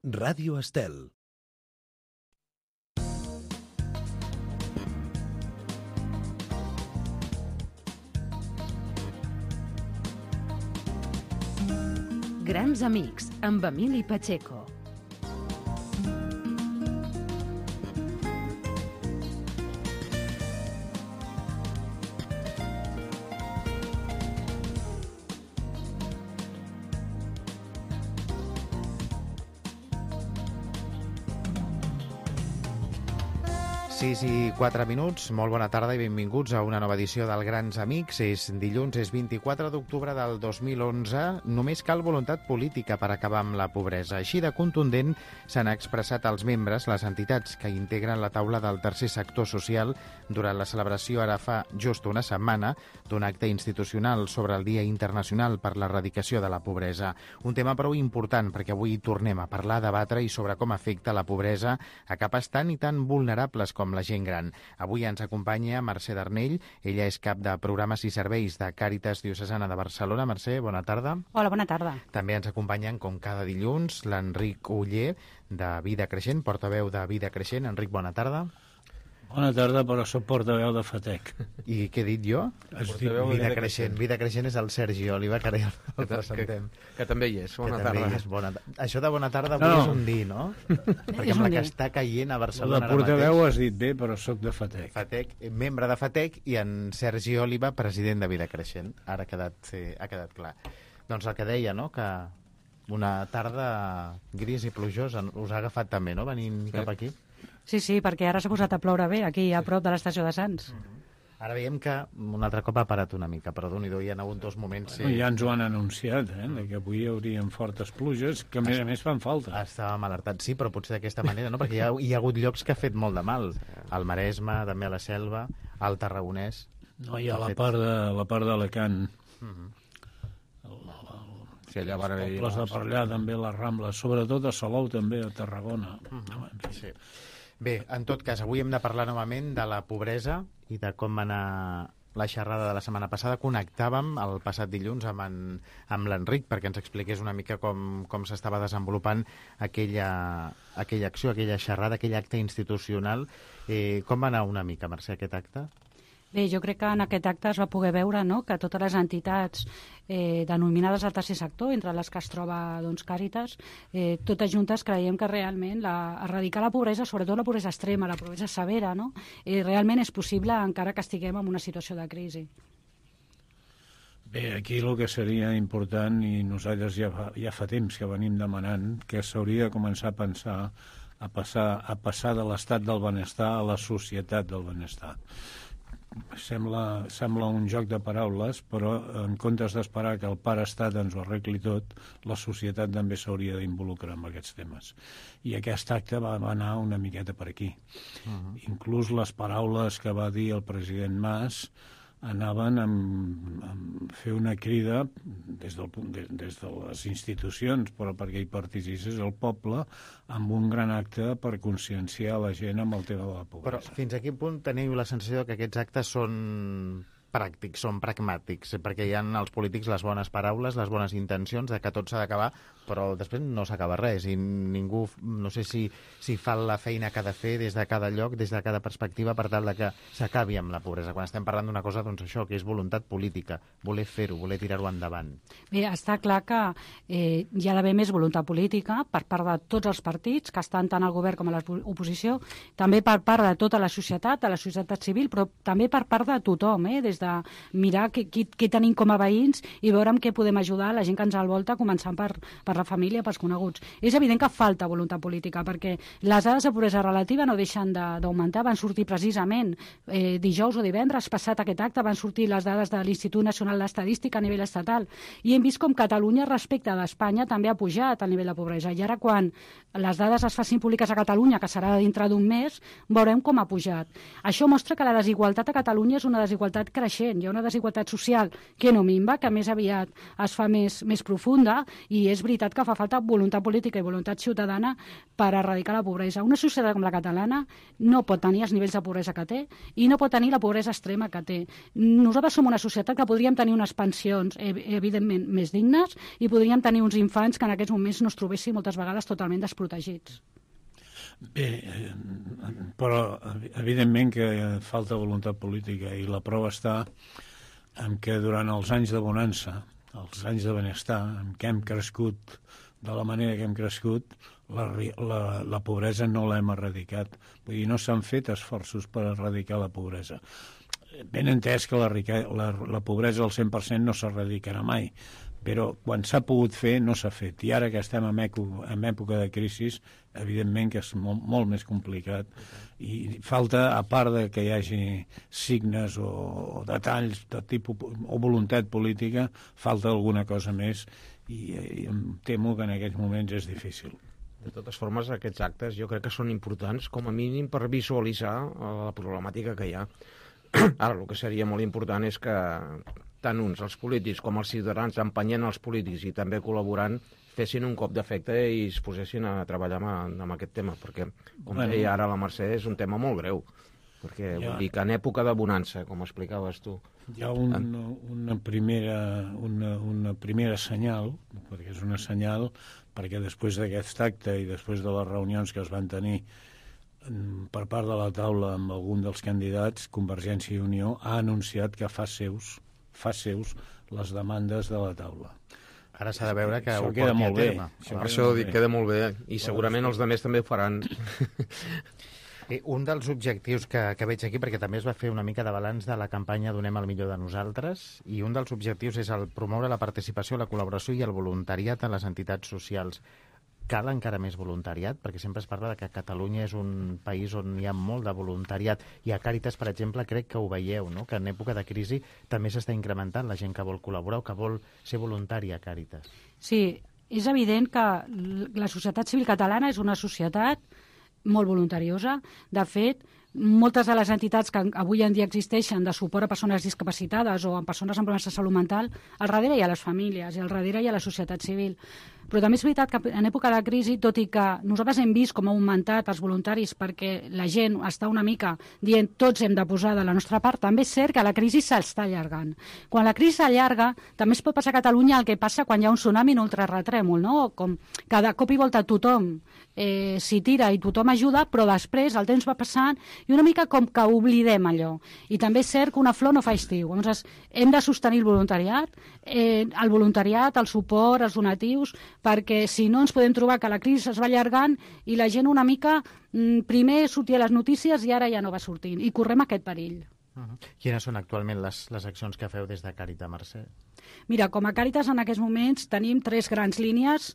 Ràdio Estel. Grans amics, amb Emili Pacheco. Sis i 4 minuts, molt bona tarda i benvinguts a una nova edició del Grans Amics. És dilluns, és 24 d'octubre del 2011. Només cal voluntat política per acabar amb la pobresa. Així de contundent s'han expressat els membres, les entitats que integren la taula del tercer sector social durant la celebració ara fa just una setmana d'un acte institucional sobre el Dia Internacional per l'Erradicació de la Pobresa. Un tema prou important perquè avui tornem a parlar, debatre i sobre com afecta la pobresa a capes tan i tan vulnerables com la gent gran. Avui ens acompanya Mercè Darnell. Ella és cap de Programes i Serveis de Càritas Diocesana de Barcelona. Mercè, bona tarda. Hola, bona tarda. També ens acompanyen, com cada dilluns, l'Enric Oller, de Vida Creixent, portaveu de Vida Creixent. Enric, bona tarda. Bona tarda, però soc portaveu de FATEC. I què he dit jo? Vida Creixent. Vida Creixent és el Sergi Oliva, que ara ja el presentem. Que també hi és. Bona tarda. Això de bona tarda avui és un dir, no? Perquè amb la que està caient a Barcelona ara mateix... La portaveu has dit bé, però soc de FATEC. FATEC, membre de FATEC, i en Sergi Oliva, president de Vida Creixent. Ara ha quedat clar. Doncs el que deia, no?, que una tarda gris i plujosa us ha agafat també, no?, venint cap aquí. Sí, perquè ara s'ha posat a ploure bé, aquí a prop de l'estació de Sants. Ara veiem que un altre cop ha parat una mica, però Déu-n'hi-do, hi ha hagut dos moments... Ja ens ho han anunciat, que avui hi haurien fortes pluges, que a més fan falta. Estàvem alertats, sí, però potser d'aquesta manera, no? Perquè hi ha hagut llocs que ha fet molt de mal. Al Maresme, també a la Selva, al Tarragonès... No, hi ha la part d'Alacant. Sí, allà van haver... Els pobles de per allà, també, les Rambles, sobretot a Salou, també, a Tarragona. Sí. Bé, en tot cas, avui hem de parlar novament de la pobresa i de com va anar la xerrada de la setmana passada. Connectàvem el passat dilluns amb l'Enric perquè ens expliqués una mica com s'estava desenvolupant aquella acció, aquella xerrada, aquell acte institucional. Com va anar una mica, Mercè, aquest acte? Bé, jo crec que en aquest acte es va poder veure, no?, que totes les entitats denominades al tercer sector, entre les que es troba Càritas, totes juntes creiem que realment erradicar la pobresa, sobretot la pobresa extrema, la pobresa severa, no?, realment és possible encara que estiguem en una situació de crisi. Bé, aquí el que seria important, i nosaltres ja fa temps que venim demanant, que s'hauria de començar a pensar a passar de l'estat del benestar a la societat del benestar. Sembla un joc de paraules, però en comptes d'esperar que el pare estat ens ho arregli tot, la societat també s'hauria d'involucrar en aquests temes. I aquest acte va anar una miqueta per aquí. Inclús les paraules que va dir el president Mas anaven a fer una crida des de les institucions, però perquè hi participés el poble, amb un gran acte per conscienciar la gent amb el tema de la pobresa. Però fins a quin punt teniu la sensació que aquests actes són pràctics, són pragmàtics, perquè hi ha els polítics les bones paraules, les bones intencions de que tot s'ha d'acabar, però després no s'acaba res i ningú, no sé si fa la feina que ha de fer des de cada lloc, des de cada perspectiva, per tal de que s'acabi amb la pobresa. Quan estem parlant d'una cosa, doncs això, que és voluntat política, voler fer-ho, voler tirar-ho endavant. Bé, està clar que hi ha d'haver més voluntat política per part de tots els partits, que estan tant al govern com a l'oposició, també per part de tota la societat, de la societat civil, però també per part de tothom, des de mirar què tenim com a veïns i veure amb què podem ajudar la gent que ens envolta, començant per la família, pels coneguts. És evident que falta voluntat política, perquè les dades de pobresa relativa no deixen d'augmentar. Van sortir precisament dijous o divendres passat aquest acte, van sortir les dades de l'Institut Nacional d'Estadística a nivell estatal, i hem vist com Catalunya respecte d'Espanya també ha pujat el nivell de pobresa. I ara, quan les dades es facin públiques a Catalunya, que serà dintre d'un mes, veurem com ha pujat. Això mostra que la desigualtat a Catalunya és una desigualtat creixent creixent. Hi ha una desigualtat social que no minva, que més aviat es fa més profunda, i és veritat que fa falta voluntat política i voluntat ciutadana per erradicar la pobresa. Una societat com la catalana no pot tenir els nivells de pobresa que té i no pot tenir la pobresa extrema que té. Nosaltres som una societat que podríem tenir unes pensions, evidentment, més dignes, i podríem tenir uns infants que en aquests moments no es trobessin moltes vegades totalment desprotegits. Bé, però evidentment que falta voluntat política, i la prova està en què durant els anys de bonança, els anys de benestar, en què hem crescut de la manera que hem crescut, la pobresa no l'hem erradicat. Vull dir, no s'han fet esforços per erradicar la pobresa. Ben entès que la pobresa al 100% no s'erradicarà mai, però quan s'ha pogut fer no s'ha fet, i ara que estem en època de crisi, evidentment que és molt més complicat, i falta, a part de que hi hagi signes o detalls de tipus o voluntat política, falta alguna cosa més, i em temo que en aquests moments és difícil. De totes formes, aquests actes jo crec que són importants com a mínim per visualitzar la problemàtica que hi ha. Ara, el que seria molt important és que tant uns, els polítics, com els ciutadans, empenyent els polítics i també col·laborant, fessin un cop d'efecte i es posessin a treballar amb aquest tema, perquè, com deia ara la Mercè, és un tema molt greu, perquè vull dir que en època de bonança, com explicaves tu... Hi ha una primera senyal, perquè és una senyal, perquè després d'aquest acte i després de les reunions que es van tenir per part de la taula amb algun dels candidats, Convergència i Unió ha anunciat que fa seus les demandes de la taula. Ara s'ha de veure que ho queda porti molt a terme. Per això dic, queda molt bé, i segurament els altres també ho faran. Un dels objectius que veig aquí, perquè també es va fer una mica de balanç de la campanya Donem el millor de nosaltres, i un dels objectius és el promoure la participació, la col·laboració i el voluntariat en les entitats socials. Cal encara més voluntariat? Perquè sempre es parla de que Catalunya és un país on hi ha molt de voluntariat, i a Càritas, per exemple, crec que ho veieu, no? Que en època de crisi també s'està incrementant la gent que vol col·laborar o que vol ser voluntària a Càritas. Sí, és evident que la societat civil catalana és una societat molt voluntariosa. De fet, moltes de les entitats que avui en dia existeixen de suport a persones discapacitades o a persones amb problemes de salut mental, al darrere hi ha les famílies i al darrere hi ha la societat civil. Però també és veritat que en època de crisi, tot i que nosaltres hem vist com ha augmentat els voluntaris perquè la gent està una mica dient tots hem de posar de la nostra part, també és cert que la crisi s'està allargant. Quan la crisi s'allarga, també es pot passar a Catalunya el que passa quan hi ha un tsunami en ultraretrèmol, no? Com cada cop i volta tothom s'hi tira i tothom ajuda, però després el temps va passant i una mica com que oblidem allò. I també és cert que una flor no fa estiu. Llavors, hem de sostenir el voluntariat, el suport, els donatius, perquè si no ens podem trobar que la crisi es va allargant i la gent una mica primer sortia a les notícies i ara ja no va sortint, i correm aquest perill. Quines són actualment les accions que feu des de Càritas, Mercè? Mira, com a Càritas en aquests moments tenim 3 grans línies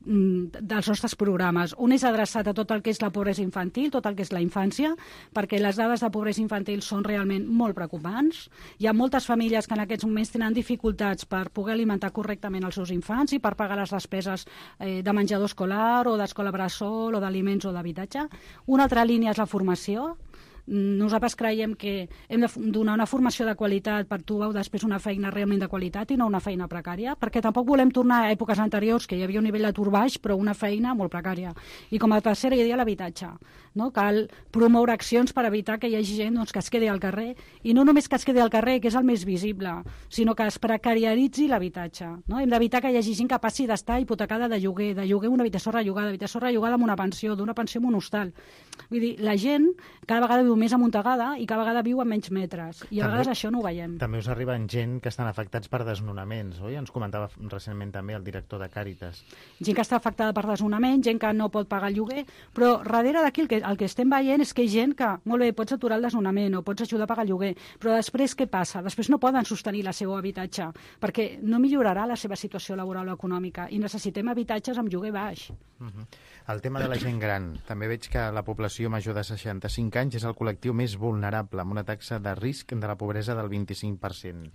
dels nostres programes. Un és adreçat a tot el que és la pobresa infantil, tot el que és la infància, perquè les dades de pobresa infantil són realment molt preocupants. Hi ha moltes famílies que en aquests moments tenen dificultats per poder alimentar correctament els seus infants i per pagar les despeses de menjador escolar o d'escola bressol o d'aliments o d'habitatge. Una altra línia és la formació. Nosaltres creiem que hem de donar una formació de qualitat per trobar després una feina realment de qualitat i no una feina precària, perquè tampoc volem tornar a èpoques anteriors que hi havia un nivell d'atur baix però una feina molt precària. I com a tercera idea, l'habitatge. No? Cal promoure accions per evitar que hi hagi gent que es quedi al carrer, i no només que es quedi al carrer, que és el més visible, sinó que es precariaritzi l'habitatge. No? Hem d'evitar que hi hagi gent que passi d'estar hipotecada de lloguer una habitació rellogada amb una pensió, d'una pensió amb un hostal. Vull dir, la gent cada vegada viu més amuntegada i cada vegada viu a menys metres. I a vegades això no ho veiem. També us arriben gent que estan afectats per desnonaments, oi? Ens comentava recentment també el director de Càritas. Gent que està afectada per desnonament, gent que no pot pagar el lloguer, però darrere d'aquí el que estem veient és que hi ha gent que, molt bé, pots aturar el desnonament o pots ajudar a pagar el lloguer, però després què passa? Després no poden sostenir la seva habitatge, perquè no millorarà la seva situació laboral o econòmica, i necessitem habitatges amb lloguer baix. El tema de la gent gran. També veig que la població major de 65 anys és el col·lectiu més vulnerable, amb una taxa de risc de la pobresa del 25%.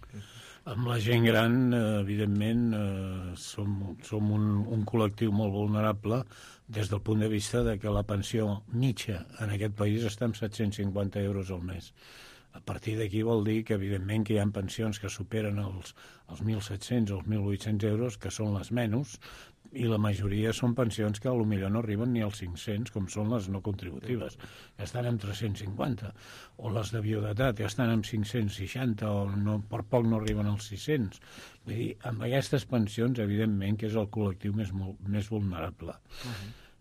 Amb la gent gran, evidentment, som un col·lectiu molt vulnerable des del punt de vista de que la pensió mitja en aquest país està en 750 euros al mes. A partir d'aquí vol dir que, evidentment, que hi ha pensions que superen els 1.700 o els 1.800 euros, que són les menys, i la majoria són pensions que potser no arriben ni als 500, com són les no contributives, que estan en 350, o les de viudetat, que estan en 560, o no, per poc no arriben als 600. Vull dir, amb aquestes pensions, evidentment, que és el col·lectiu més vulnerable.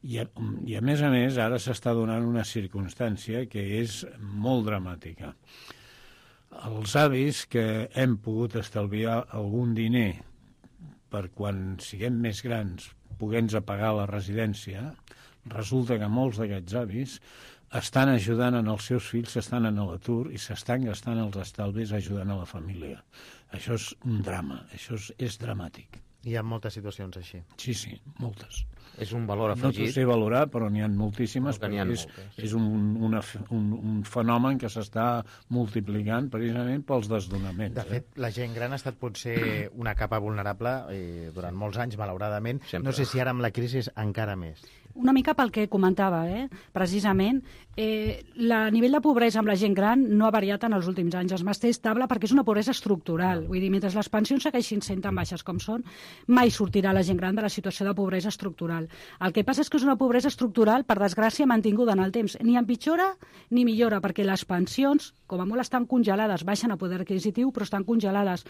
I a més, ara s'està donant una circumstància que és molt dramàtica. Els avis que hem pogut estalviar algun diner per quan siguem més grans poder-nos pagar la residència, resulta que molts d'aquests avis estan ajudant en els seus fills, estan en l'atur i s'estan gastant els estalvis ajudant a la família. Això és un drama, això és dramàtic. Hi ha moltes situacions així. Sí, moltes. És un valor afegit. No t'ho sé valorar, però n'hi ha moltíssimes, perquè és un fenomen que s'està multiplicant precisament pels desdonaments. De fet, la gent gran ha estat potser una capa vulnerable durant molts anys, malauradament. Sempre. No sé si ara amb la crisi és encara més. Una mica pel que comentava, precisament, el nivell de pobresa amb la gent gran no ha variat en els últims anys. Es manté estable perquè és una pobresa estructural. Vull dir, mentre les pensions segueixin sent tan baixes com són, mai sortirà la gent gran de la situació de pobresa estructural. El que passa és que és una pobresa estructural, per desgràcia, mantinguda en el temps. Ni empitjora ni millora, perquè les pensions, com a molt estan congelades, baixen a poder adquisitiu, però estan congelades.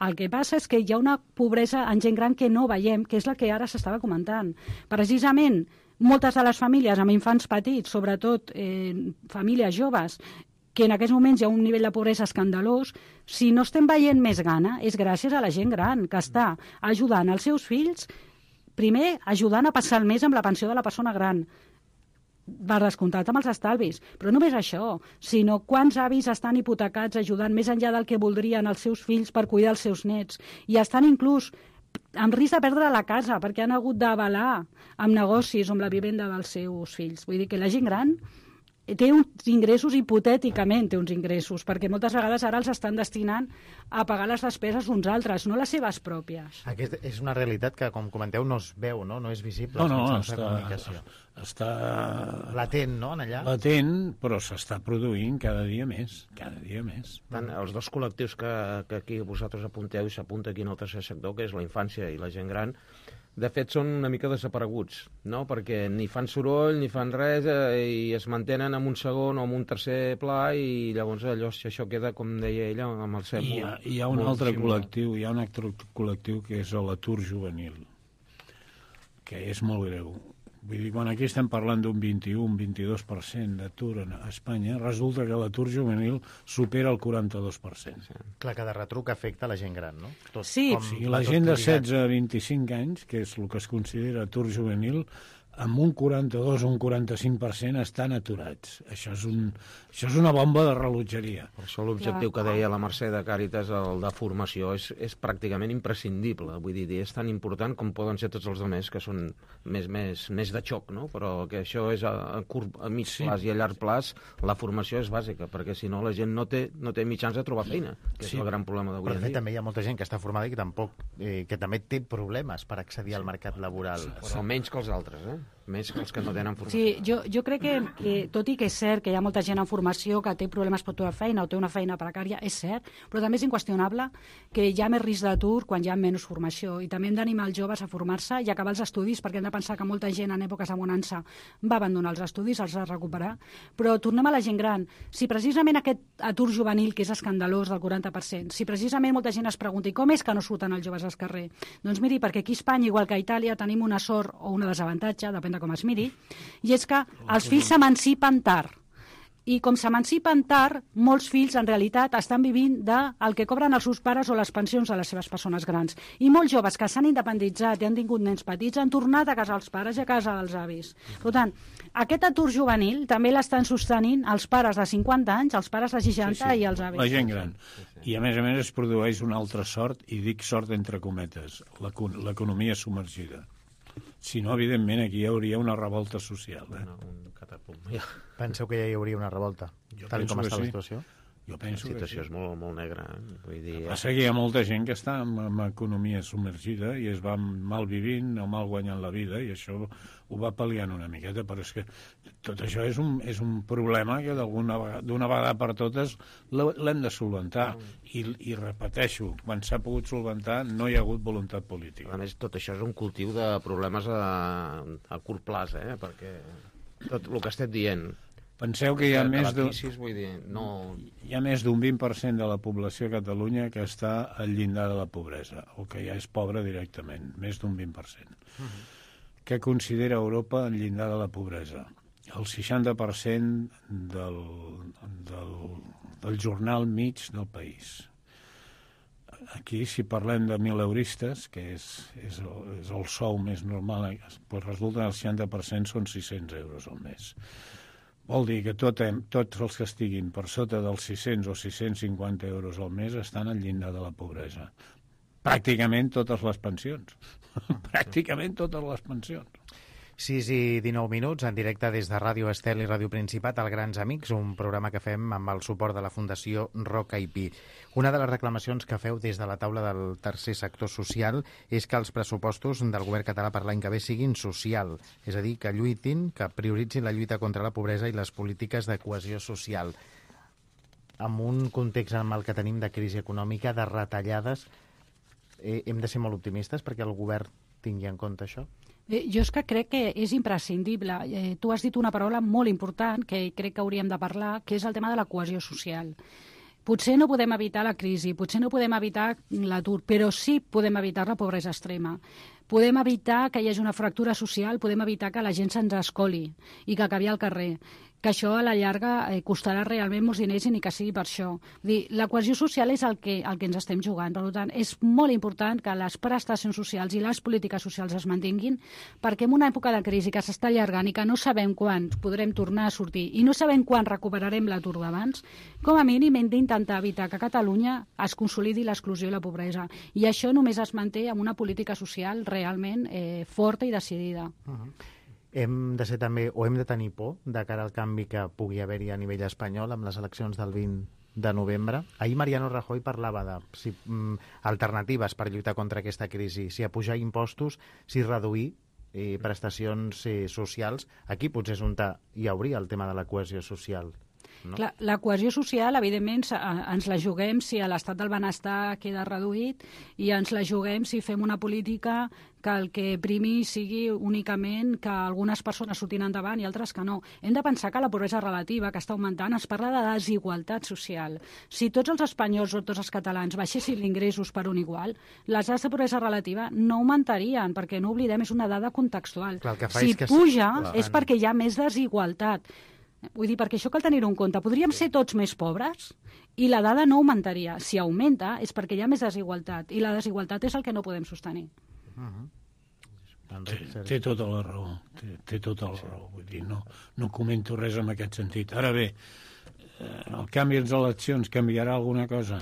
El que passa és que hi ha una pobresa en gent gran que no veiem, que és la que ara s'estava comentant. Precisament, moltes de les famílies amb infants petits, sobretot famílies joves, que en aquests moments hi ha un nivell de pobresa escandalós, si no estem veient més gana és gràcies a la gent gran, que està ajudant els seus fills, primer ajudant a passar el mes amb la pensió de la persona gran, per descomptat amb els estalvis. Però no només això, sinó quants avis estan hipotecats ajudant més enllà del que voldrien els seus fills per cuidar els seus nets, i estan inclús amb risc de perdre la casa perquè han hagut d'avalar amb negocis o amb la vivenda dels seus fills. Vull dir que la gent gran té uns ingressos, hipotèticament té uns ingressos, perquè moltes vegades ara els estan destinant a pagar les despeses d'uns altres, no les seves pròpies. Aquesta és una realitat que, com comenteu, no es veu, no és visible. Està latent, no, allà? Latent, però s'està produint cada dia més. Tant, els dos col·lectius que aquí vosaltres apunteu i s'apunta aquí en el tercer sector, que és la infància i la gent gran, de fet són una mica desapareguts, no? Perquè ni fan soroll, ni fan res, i es mantenen en un segon o en un tercer pla, i llavors això queda, com deia ella, amb el cep. Hi ha un altre col·lectiu que és l'atur juvenil, que és molt greu. Vull dir, quan aquí estem parlant d'un 21-22% d'atur a Espanya, resulta que l'atur juvenil supera el 42%. Sí. Clar, cada retruc afecta la gent gran, no? Sí. La gent de 16 a 25 anys, que és el que es considera atur juvenil, amb un 42 o un 45% estan aturats. Això és una bomba de rellotgeria. Per això l'objectiu que deia la Mercè de Càritas, el de formació, és pràcticament imprescindible. Vull dir, és tan important com poden ser tots els altres, que són més de xoc, no? Però que això és a mig plaç i a llarg plaç, la formació és bàsica, perquè si no la gent no té mitjans de trobar feina, que és el gran problema d'avui en dia. Però també hi ha molta gent que està formada i que també té problemes per accedir al mercat laboral. Però menys que els altres, més que els que no tenen formació. Sí, jo crec que tot i que és cert que hi ha molta gent en formació que té problemes per trobar feina o té una feina precària, és cert, però també és inqüestionable que hi ha més risc d'atur quan hi ha menys formació, i també hem d'animar els joves a formar-se i acabar els estudis, perquè hem de pensar que molta gent en èpoques de bonança va abandonar els estudis, els ha de recuperar. Però tornem a la gent gran. Si precisament aquest atur juvenil, que és escandalós del 40%, si precisament molta gent es pregunta i com és que no surten els joves als carrers? Doncs miri, perquè aquí a Espanya, igual que a Itàlia, tenim una sort o una desavantatge, depèn de com es miri, i és que els fills s'emancipen tard. I com s'emancipen tard, molts fills en realitat estan vivint del que cobren els seus pares o les pensions de les seves persones grans. I molts joves que s'han independitzat i han tingut nens petits han tornat a casa dels pares i a casa dels avis. Per tant, aquest atur juvenil també l'estan sostenint els pares de 50 anys, els pares de 60 i els avis. La gent gran. I a més es produeix una altra sort, i dic sort entre cometes, l'economia submergida. Si no, evidentment, aquí hi hauria una revolta social. Un catapunt. Penseu que ja hi hauria una revolta, tal com està la situació? Jo penso La situació que sí. és molt, molt negra. Vull dir, Passa que hi ha molta gent que està en economia submergida i es va mal vivint o mal guanyant la vida, i això ho va pal·liant una miqueta, però és que tot això és un problema que d'una vegada per totes l'hem de solventar. I repeteixo, quan s'ha pogut solventar no hi ha hagut voluntat política. a més, tot això és un cultiu de problemes a curt plaç, perquè tot el que estem dient... Penseu que hi ha més d'un... Vull dir, no... Hi ha més d'un 20% de la població a Catalunya que està al llindar de la pobresa, o que ja és pobra directament, més d'un 20%. Què considera Europa el llindar de la pobresa? El 60% del jornal mig del país. Aquí, si parlem de 1.000 euristes, que és el sou més normal, doncs resulta que el 60% són 600 euros al mes. Vol dir que tots els que estiguin per sota dels 600 o 650 euros al mes estan al llindar de la pobresa. Pràcticament totes les pensions. Pràcticament totes les pensions. 6 i 19 minuts, en directe des de Ràdio Estel i Ràdio Principat, al Grans Amics, un programa que fem amb el suport de la Fundació Roca i Pi. Una de les reclamacions que feu des de la taula del tercer sector social és que els pressupostos del govern català per l'any que ve siguin social, és a dir, que lluitin, que prioritzin la lluita contra la pobresa i les polítiques de cohesió social. En un context en el que tenim de crisi econòmica, de retallades, hem de ser molt optimistes perquè el govern tingui en compte això? Jo és que crec que és imprescindible. Tu has dit una paraula molt important que crec que hauríem de parlar, que és el tema de la cohesió social. Potser no podem evitar la crisi, potser no podem evitar l'atur, però sí podem evitar la pobresa extrema. Podem evitar que hi hagi una fractura social, podem evitar que la gent se'ns escoli i que acabi al carrer, que això a la llarga costarà realment molts diners i ni que sigui per això. La cohesió social és el que ens estem jugant. Per tant, és molt important que les prestacions socials i les polítiques socials es mantinguin, perquè en una època de crisi que s'està allargant i que no sabem quan podrem tornar a sortir i no sabem quan recuperarem l'atur d'abans, com a mínim hem d'intentar evitar que a Catalunya es consolidi l'exclusió i la pobresa. I això només es manté amb una política social realment forta i decidida. Hem de ser també, o hem de tenir por de cara al canvi que pugui haver-hi a nivell espanyol amb les eleccions del 20 de novembre. Ahir Mariano Rajoy parlava de alternatives per lluitar contra aquesta crisi, si apujar impostos, si reduir prestacions socials. Aquí potser és on hi hauria el tema de la cohesió social. No? Clar, la cohesió social, evidentment, ens la juguem si l'estat del benestar queda reduït i ens la juguem si fem una política que el que primi sigui únicament que algunes persones surtin endavant i altres que no. Hem de pensar que la pobresa relativa, que està augmentant, es parla de desigualtat social. Si tots els espanyols o tots els catalans baixessin ingressos per un igual, les dades de pobresa relativa no augmentarien, perquè no oblidem, és una dada contextual. Clar, si puja és perquè hi ha més desigualtat. Vull dir, perquè això cal tenir-ho en compte. Podríem ser tots més pobres i la dada no augmentaria. Si augmenta és perquè hi ha més desigualtat i la desigualtat és el que no podem sostenir. Té tota la raó. Té tota la raó. Vull dir, no comento res en aquest sentit. Ara bé, el canvi de les eleccions canviarà alguna cosa?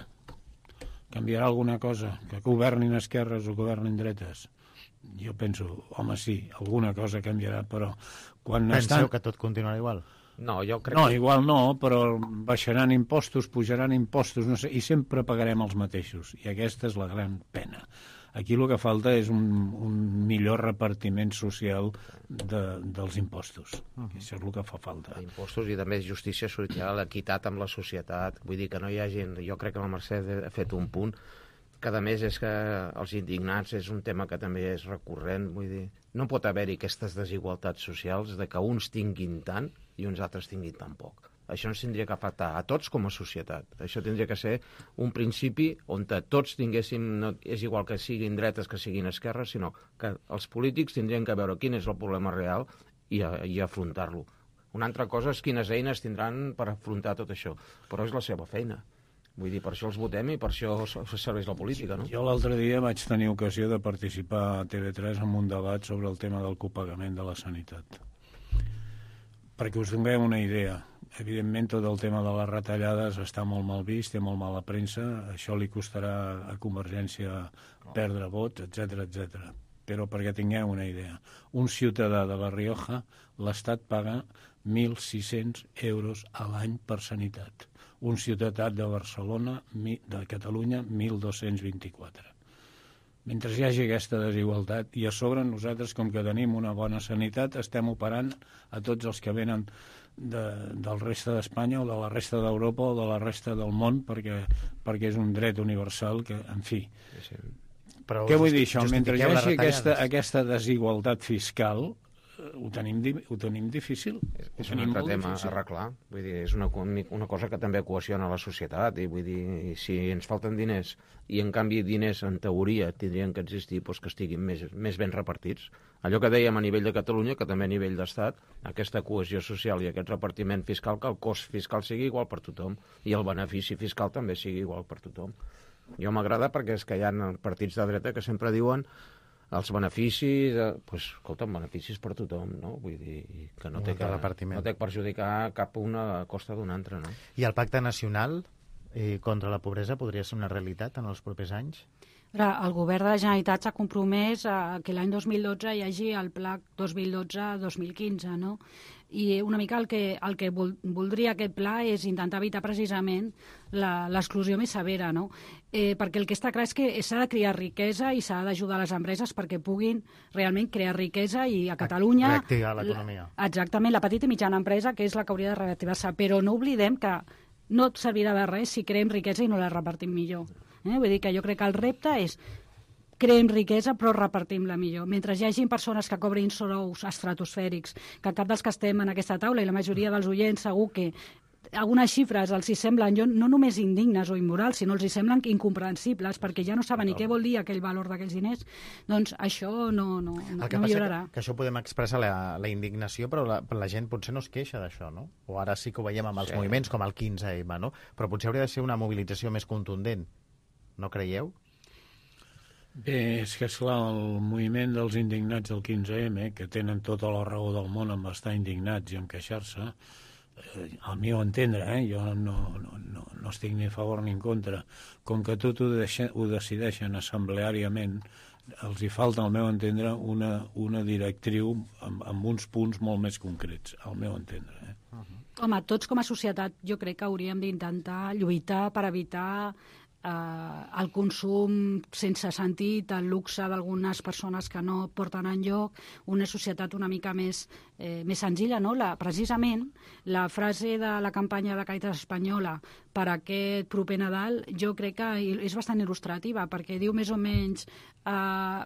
Canviarà alguna cosa? Que governin esquerres o governin dretes? Jo penso, home, sí, alguna cosa canviarà, però quan Penseu que tot continuarà igual? No, jo crec que... igual no, però baixaran impostos, pujaran impostos, no sé, i sempre pagarem els mateixos. I aquesta és la gran pena. Aquí el que falta és un millor repartiment social dels impostos. Això és el que fa falta. Impostos i també justícia social, equitat amb la societat. Vull dir que no hi ha gent... Jo crec que la Mercè ha fet un punt que, a més, és que els indignats és un tema que també és recurrent. Vull dir, no pot haver-hi aquestes desigualtats socials de que uns tinguin tant i uns altres tinguin tan poc. Això ens tindria que afectar a tots com a societat. Això tindria que ser un principi on tots tinguéssim, no és igual que siguin dretes que siguin esquerres, sinó que els polítics tindrien que veure quin és el problema real i afrontar-lo. Una altra cosa és quines eines tindran per afrontar tot això, però és la seva feina. Vull dir, per això els votem i per això serveix la política, no? Jo l'altre dia vaig tenir ocasió de participar a TV3 en un debat sobre el tema del copagament de la sanitat. Perquè us donem una idea. Evidentment, tot el tema de les retallades està molt mal vist, té molt mala premsa, això li costarà a Convergència perdre vots, etc. Però perquè tingueu una idea, un ciutadà de La Rioja, l'Estat paga 1.600 euros a l'any per sanitat. un ciutat de Barcelona, de Catalunya, 1.224. Mentre hi hagi aquesta desigualtat, i a sobre nosaltres, com que tenim una bona sanitat, estem operant a tots els que venen del resta d'Espanya o de la resta d'Europa o de la resta del món, perquè és un dret universal que, en fi... Sí. Però què vull dir això? Mentre hi hagi aquesta desigualtat fiscal, ho tenim difícil. És un altre tema a arreglar. Vull dir, és una cosa que també cohesiona la societat. I vull dir, si ens falten diners i en canvi diners en teoria tindrien que existir, doncs que estiguin més ben repartits. Allò que dèiem a nivell de Catalunya, que també a nivell d'Estat, aquesta cohesió social i aquest repartiment fiscal, que el cost fiscal sigui igual per tothom i el benefici fiscal també sigui igual per tothom. Jo m'agrada perquè és que hi ha partits de dreta que sempre diuen els beneficis, escolta'm, beneficis per tothom, no? Vull dir, que no té que perjudicar cap una a costa d'una altra, no? I el Pacte Nacional contra la pobresa podria ser una realitat en els propers anys? El govern de la Generalitat s'ha compromès a que l'any 2012 hi hagi el Pla 2012-2015, no? I una mica el que voldria aquest pla és intentar evitar precisament l'exclusió més severa, no? Perquè el que està clar és que s'ha de crear riquesa i s'ha d'ajudar les empreses perquè puguin realment crear riquesa i a Catalunya... Reactivar l'economia. Exactament, la petita i mitjana empresa, que és la que hauria de reactivar-se, però no oblidem que no servirà de res si creem riquesa i no la repartim millor. Vull dir que jo crec que el repte és creem riquesa però repartim-la millor. Mentre hi hagi persones que cobrin sous estratosfèrics, que cap dels que estem en aquesta taula i la majoria dels oients segur que algunes xifres els hi semblen no només indignes o immorals, sinó els hi semblen incomprensibles perquè ja no saben ni què vol dir aquell valor d'aquells diners, doncs això no millorarà. Que això podem expressar la indignació, però la gent potser no es queixa d'això, no? O ara sí que ho veiem amb els moviments com el 15M, no? Però potser hauria de ser una mobilització més contundent. No creieu? Bé, és que, esclar, el moviment dels indignats del 15M, que tenen tota la raó del món en estar indignats i en queixar-se, al meu entendre, jo no estic ni a favor ni en contra, com que tot ho decideixen assembleàriament, els hi falta, al meu entendre, una directriu amb uns punts molt més concrets, al meu entendre. Home, tots com a societat jo crec que hauríem d'intentar lluitar per evitar el consum sense sentit, el luxe d'algunes persones que no porten enlloc, una societat una mica més senzilla, no? Precisament la frase de la campanya de Càritas Espanyola per aquest proper Nadal jo crec que és bastant il·lustrativa, perquè diu més o menys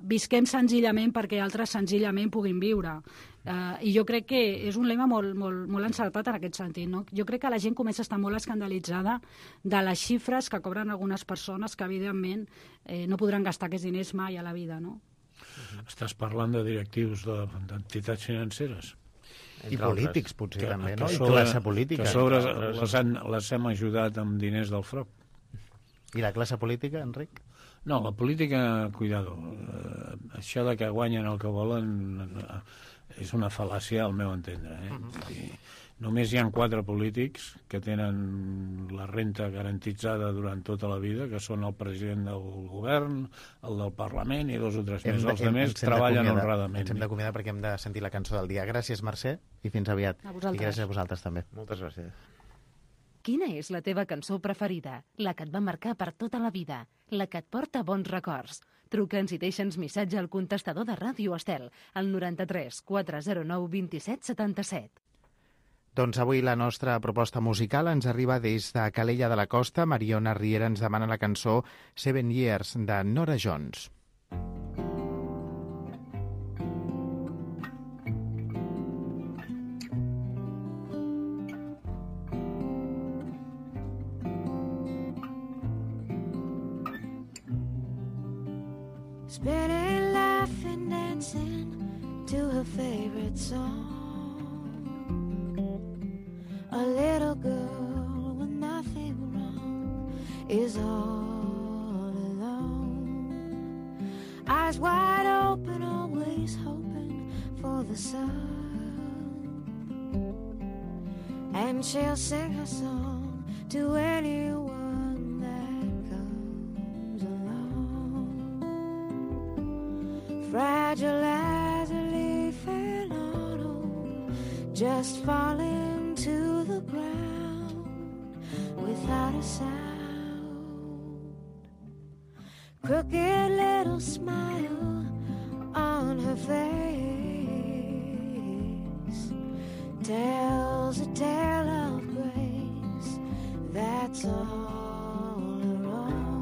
visquem senzillament perquè altres senzillament puguin viure. I jo crec que és un lema molt encertat en aquest sentit, no? Jo crec que la gent comença a estar molt escandalitzada de les xifres que cobren algunes persones que, evidentment, no podran gastar aquests diners mai a la vida, no? Estàs parlant de directius d'entitats financeres? I polítics, potser, també, no? I classe política. Que sobre les hem ajudat amb diners del FROP. I la classe política, Enric? No, la política, cuidado. Això de que guanyen el que volen és una fal·làcia, al meu entendre. Només hi ha 4 polítics que tenen la renta garantitzada durant tota la vida, que són el president del govern, el del Parlament i 2 o 3 més. Els altres treballen honradament. Ens hem d'acomiadar perquè hem de sentir la cançó del dia. Gràcies, Mercè, i fins aviat. A vosaltres. I gràcies a vosaltres, també. Moltes gràcies. Quina és la teva cançó preferida? La que et va marcar per tota la vida? La que et porta bons records? Truca'ns i deixa'ns missatge al contestador de Ràdio Estel, al 93 409 27 77. Doncs avui la nostra proposta musical ens arriba des de Calella de la Costa. Mariona Riera ens demana la cançó 7 Years, de Norah Jones. Spinning, laughing, dancing to her favorite song. A little girl with nothing wrong is all alone. Eyes wide open, always hoping for the sun. And she'll sing her song to anyone that comes along. Fragile as a leaf in autumn, just falling to the ground. without a sound. Crooked little smile on her face tells a tale of grace that's all her own.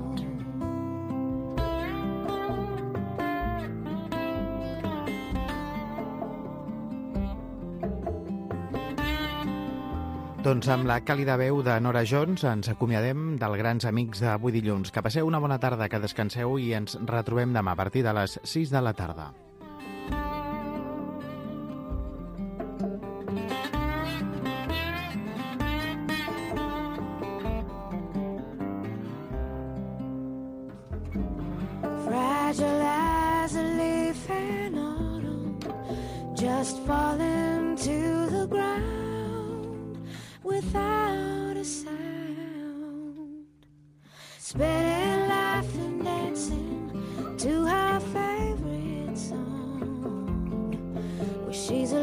Doncs amb la càlida veu de Nora Jones ens acomiadem dels grans amics d'avui dilluns. Que passeu una bona tarda, que descanseu i ens retrobem demà a partir de les 6 de la tarda. Fragile as a leaf in autumn, just falling to the ground without a sound, spinning, laughing, dancing to her favorite song, where she's a